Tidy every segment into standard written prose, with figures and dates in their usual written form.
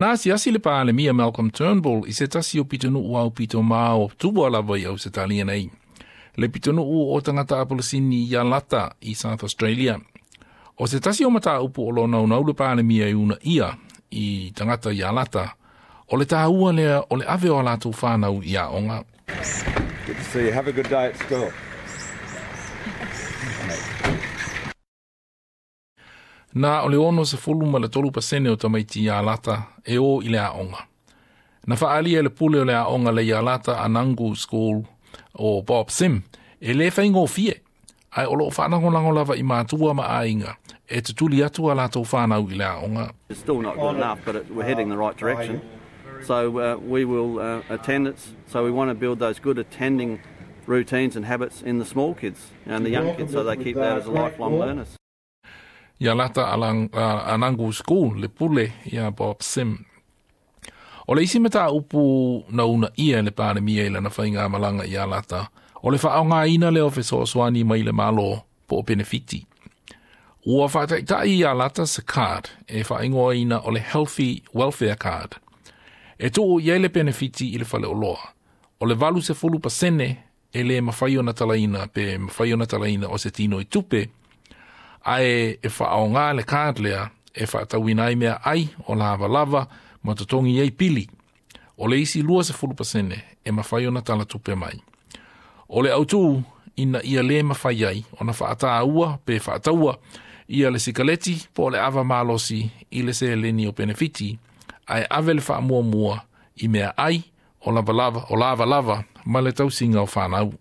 Na asiasi le Palemia Malcolm Turnbull i se tasi o pitonuu aupito mao tua lava i Ausetalia nei. Le pitonuu o tagata Apolisini i Yalata i South Australia. O se tasi o mataupu o lo o naunau le Palemia e uunaia i tagata i Yalata, o le taua lea o le ave o a latou fanau i aoga. Good to see you. Have a good day at school. Na o le 63% o tamaiti i Yalata e o i le aoga. Na faaalia e le pule o le aoga le Yalata Anangu School o Bob Sim e le faigofie, ae o lo o faalagolago lava i matua ma aiga e tutuli atu a latou fanau i le aoga. It's still not good enough, but we're heading the right direction. So we will attendance. So we want to build those good attending routines and habits in the small kids and the young kids, so they keep that as a lifelong learners. Yalata Anangu School le pule ia Bob Sim. O le isi mataupu na uunaia e le Palemia i lana faigamalaga i Yalata, o le faaaogaina lea o fesoasoani mai le Malo po o penefiti. Ua faataitai i Yalata se card e faaigoaina o le Healthy Welfare Card. E tuu i ai le penefiti i le faleoloa. O le 80% e le mafai ona talaina pe mafai ona talaina o se tino i tupe, ae e faaaoga le card lea e faatauina ai meaai o lavalava ma totogi ai pili. O le isi 20% e mafai ona tala tupe mai. O le autū ina ia le mafai ai ona faataua pe faataua ia le sikaleti po o le ava malosi i le seleni o penefiti, ae ave le faamuamua i meaai o lavalava, o lavalava ma le tausiga o fanau.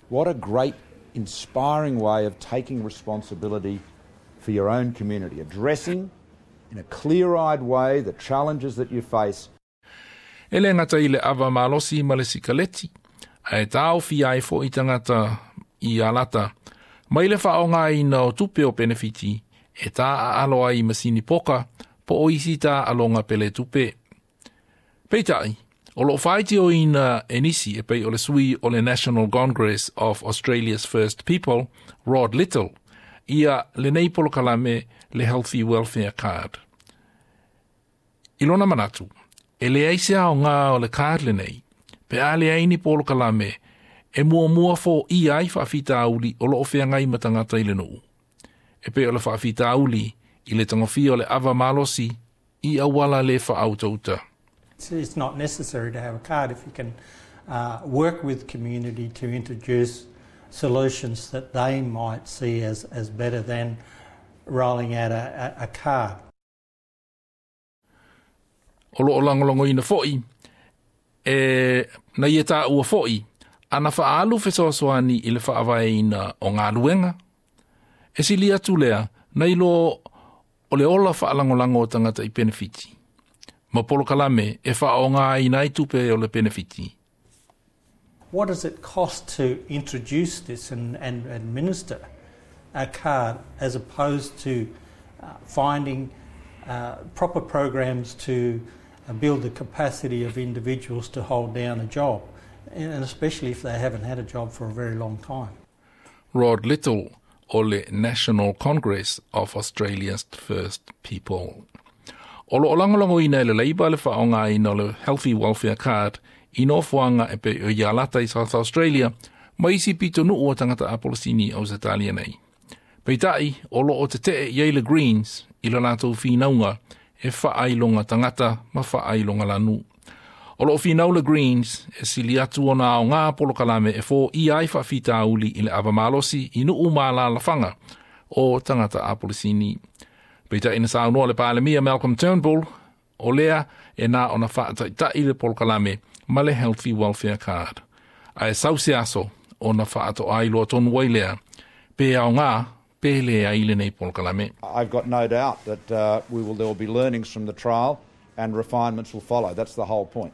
What a great inspiring way of taking responsibility for your own community, addressing in a clear-eyed way the challenges that you face. E le gata i le ava malosi ma le sikaleti, ae taofia ai foʻi tagata i Yalata mai le faaaogaina o tupe o penefiti e taaalo ai i masini poka po o isi taaloga peletupe. Peitai, o lo o faitioina e nisi e pei o le sui o le National Congress of Australia's First People, Rod Little, ia lenei polokalame le Healthy Welfare Card. I lona manatu, e leai se aoga o le card lenei, pe a leai ni polokalame e muamua foia ai faafitauli o lo o feagai ma tagata i le nuu. E pei o le faafitauli i le tagofia o le ava malosi i auala le faautauta. It's not necessary to have a card if you can work with community to introduce solutions that they might see as better than rolling out a card. O lo o lagolagoina foʻi e na ia taua foʻi ana faaalu fesoasoani i le faavaeina o galuega. E sili atu lea nai lo o le ola faalagolago o tagata i penefiti ma polokalame e faaaogaina ai tupe o le penefiti. What does it cost to introduce this and administer a card as opposed to finding proper programs to build the capacity of individuals to hold down a job, and especially if they haven't had a job for a very long time? Rod Little o le National Congress of Australia's First People. O lo o lagolagoina e le Labour le faaaogaina o le Healthy Welfare Card i nofoaga e pei o Yalata i South Australia ma isi pitonuu o tagata Apolisini Ausetalia nei. Peitai, o lo o tetee i ai le Greens i le latou finauga e faailoga tagata ma faailoga lanu. O lo o finau le Greens e sili atu ona aoga polokalame e foia ai faafitauli i le ava malosi i nuu ma alaalafaga o tagata Apolisini. Peitai na saunoa le Palemia Malcolm Turnbull, o lea e na ona faataitai le polokalame ma le Healthy Welfare Card. Ae sau se aso ona faatoa iloa tonu ai lea, pe aoga pe leai lenei polokalame. I've got no doubt that there will be learnings from the trial and refinements will follow. That's the whole point.